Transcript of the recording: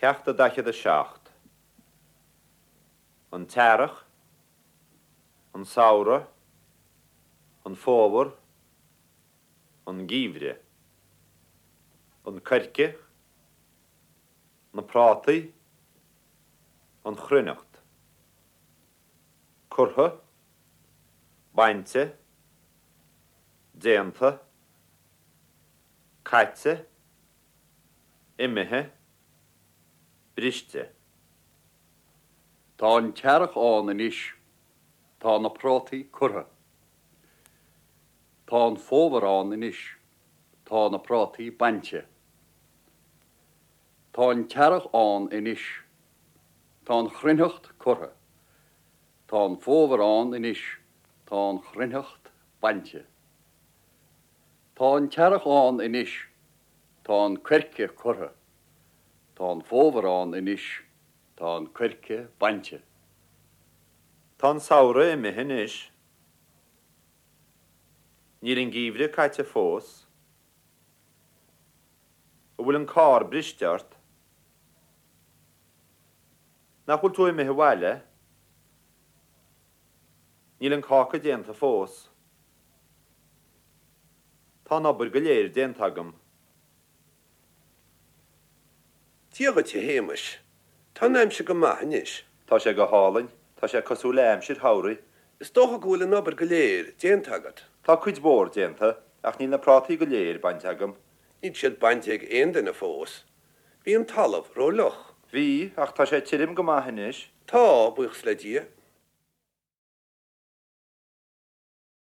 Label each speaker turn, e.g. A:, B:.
A: Ceacht a 47. An tEarrach, an Samhradh, an Fómhar, an Geimhreadh. An Coirce, na Prátaí, an Chruithneacht. Curtha, bainte, déanta, caite, imithe, briste.
B: Tá an t-earrach ann anois. Tá na prátaí curtha. Tá an fómhar ann anois. Tá na prátaí bainte. Tá an t-earrach ann anois. Tá an chruithneacht curtha. Tá an fómhar ann anois. Tá an chruithneacht bainte. Tá an t-earrach ann anois. Tá an coirce curtha. Tá an fómhar ann anois. Tá an coirce bainte.
A: Tá an samhradh imithe anois. Níl an geimhreadh caite fós. An bhfuil an carr briste ort? Nach bhfuil tú imithe abhaile? Níl an cáca déanta fós. Tá an obair go léir déanta agam.
C: Dia dhuit, a Shéamais. Tá an aimsir go maith anois.
A: Tá sé go hálainn. Tá sé cosúil le aimsir shamhraidh.
C: Is dócha go bhfuil an obair go léir déanta agat.
A: Tá cuid mhór déanta, ach níl na prátaí go léir bainte agam.
C: Níl siad bainte ag aon duine fós. Bhí an talamh ró-fhliuch.
A: Bhí, ach tá sé tirim go maith anois.
C: Tá, buíochas le Dia.